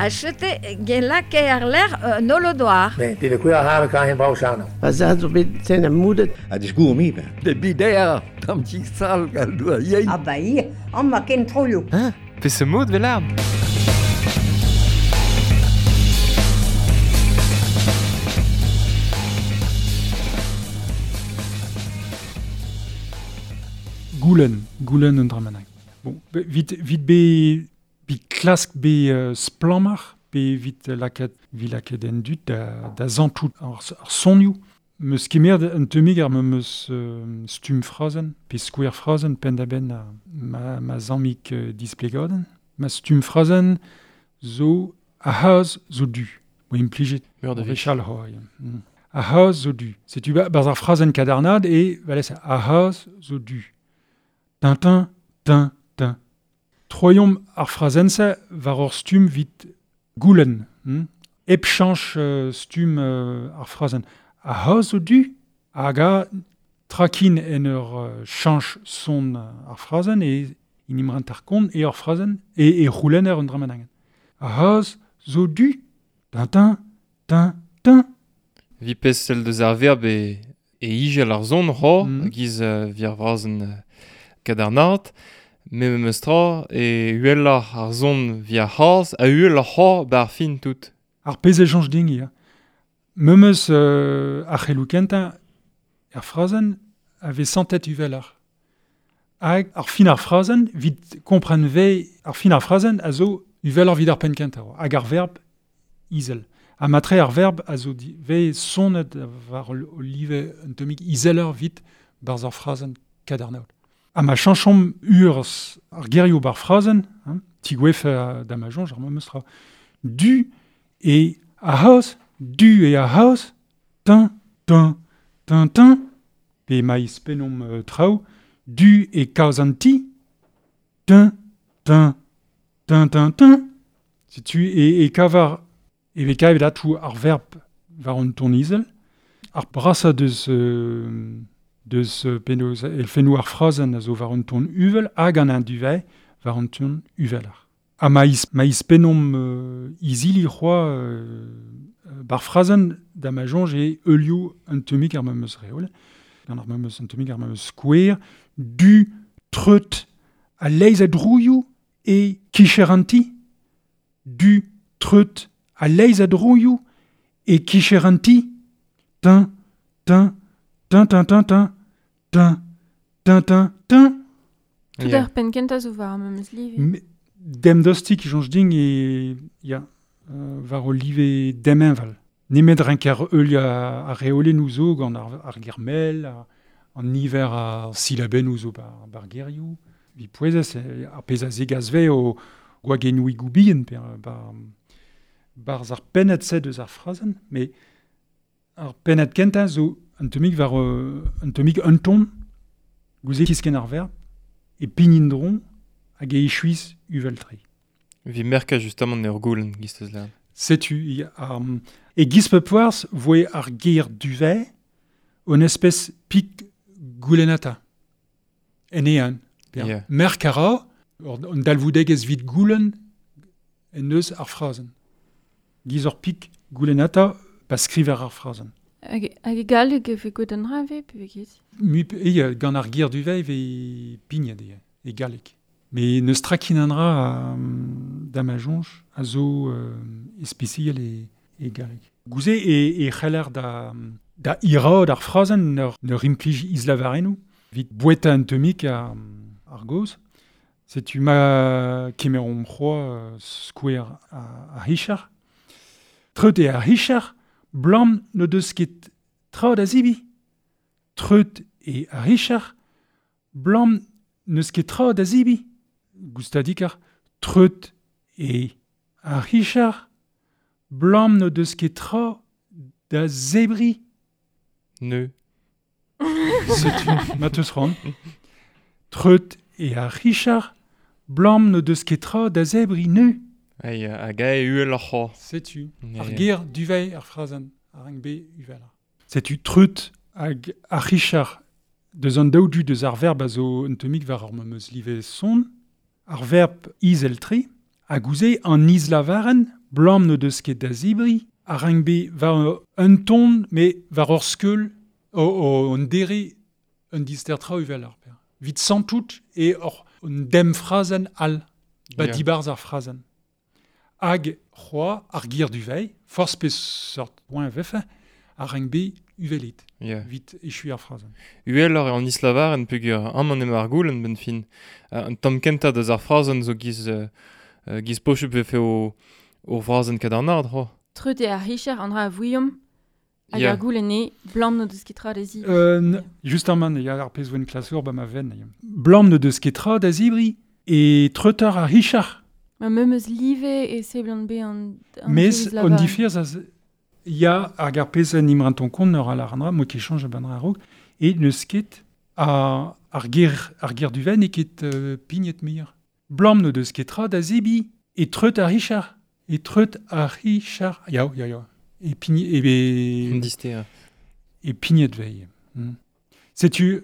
A chete gen lake ar ler nolodoar. Ne, det er kuer har kan hen brau sano. Ba za zo bet ten am moudet. A disgour mi be. De bider, tam ti sal gal doa yein. Ah ba ia, an ma ken troioù. Hein? Pe se mod vel Goulen, goulen un dramanak. Bon, vit, vit be, bi klask be splamar, be vit laket, vi laket en dut da zantout ar sonioù. Meus kemer un temig ar me meus stum frazen, pe skouer frazen pen da ben ma zammik displegadenn. Ma stum frazen zo a haaz zo du. Mo implijet. Meur de vechal hoi. A haaz zo du. Setu barz ar frazen kadarnad e valez a haaz zo du. Tintin, tin, tin. Troiomp ar frazen-se war ur stum vit goulen. Ep chanch stum ar frazen. A haaz zo du, hag a trakin en ur chanch son ar frazen e in imrant ar kont e ur frazen e roulenner un dramenangen. A haaz zo du, tintin, tin, tin. Vi pez sel deus ar verb e ijel ar zon ro, giz vi ar vrazen kadarnat, me meus tra e uella ar zon via haaz a uella c'ho bar fin tout. Ar pez e chanch ding, ya. Me meus ar c'helou kentañ ar frazen a vez santet uvelar. Hag ar fin ar frazen, vit kompren ve ar fin ar frazen a zo uvelar vid ar pen kentañ. Hag ar verb izel. Ha matre ar verb a zo ve sonet war o live un temig izeler vit barz ar frazen kadarnaot. Ha ma chanchom ur ar gerioù bar frazen, hein, tigwef da ma jonj, ar meus tra du e a haoz, du e a haoz, tin, tin, tin, tin, pe maiz penom traoù, du e kaoz an ti, tin, tin, tin, tin, tin. Setu e kavar, e ve kavet atou ar verb war an ton izel, ar brasa deus penaos elfennoù ar frazen a zo war an ton uvel hag an an duvei war an ton uvelar. Ha ma is penom izili c'hoa bar frazen da ma jonj e eulioù un temig ar meus reol, gant ar meus un temig ar meus skouer, du treut a leiz a drouioù e kicheranti, du treut a leiz a drouioù e kicheranti, tin, tin, tin, tin, tin, tin, tin, tin, tin, tin. Tout ar pen kentañ zo war ar memes live. Dem dostik jonj ding e ya war o live demenval. Nemet renker eul a reolen ouzo gant ar germel, an niver ar silaben ouzo bar gerioù. Vi pouezez ar pez a zegazve o gwagennoù igoubien per barz ar pennet se deus ar frazen, mais ar pennet kentañ zo un temig war un temig un ton, gouze kisken ar verb, e pinindron hag e echuiz uveltre. Vi merka justement ur goulen gistez la. Setu, e giz pe poarz voe ar ger duvet un espèce pik goulenata. En ean. Yeah. Merk a ra, an dalvoudegez vit goulen en eus ar frazen. Giz ur pik goulenata pa skriver ar frazen. Hag e galleg e ve gwet an ra ve, pe ve ket? Mui, e gant ar ger duvet ve pignet e galleg. Mais neus trakin an ra da ma jonj a zo especial e galleg. Gouze e c'heller da iraod ar frazen neur implij izlavarennoù, vit boueta un temik ar goz. Setu ma kemerom c'hoa skouer a hichar. Treut e ar hichar, blam ne deus ket tra da zibi. Treut e ar hichar, blam neus ket tra da zibi. Goustadik ar treut e ar hichar, blam ne deus ket tra da zebri. Ne. Setu, ma teus ran. Treut e ar hichar, blam ne deus ket tra da zebri ne. Ai, hag a e uel ar c'ho. Setu, ar ger duvei ar frazen, ar eng be uvel. Setu treut hag ar hichar deus an daou du deus ar verb a zo un temig war ar meus live son, ar verb izel-tre, hag ouze an izlavaren Blam no deus ket da zibri, a rank be war un ton, me war ur skeul, o an dere un dister tra uvel ar per. Vit santout e ur un dem frazen al, ba yeah. dibarz ar frazen. Hag c'hoa ar gir du vei, forz pe sort point vefe, a rank be uvelit. Yeah. Vit echu ar frazen. Uel ar an islavar en pegur am an ema ar goul en ben fin. An tamm kentañ deus ar frazen zo giz, giz pochup vefe o frazen kadarnard, ho. Treut eo ar richer an dra a vouiom, hag ar goul ene, blam no deus ket tra da zibri. Justement, ya ar pezh voen klasour ba ma ven. Blam no deus ket tra da zibri, e treutar ar richer. Ma memeus live e seblant be an Mes on difiz az ya hag ar pezh en imran ton kont ur al ar mo ket chanj ban raok, e neus ket a ar ger du ven e ket pignet mir. Blam no deus ket tra da zibi, e treut ar richer. E treut ar richer. Ya, ya, ya. E pignet... E be... Dister. E pignet vei. Setu,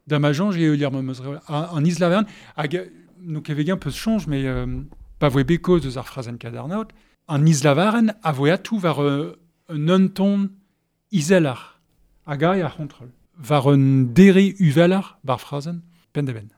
da ma janj e eulier memeus an islavern, hag no kevegan peus chanj, mais pa voe bekoz eus ar frazen kadarnaot, an islavaren a voe atou war un unton izelar, hag a ar c'hontrol. War un dere uvelar bar frazen, pen da ben.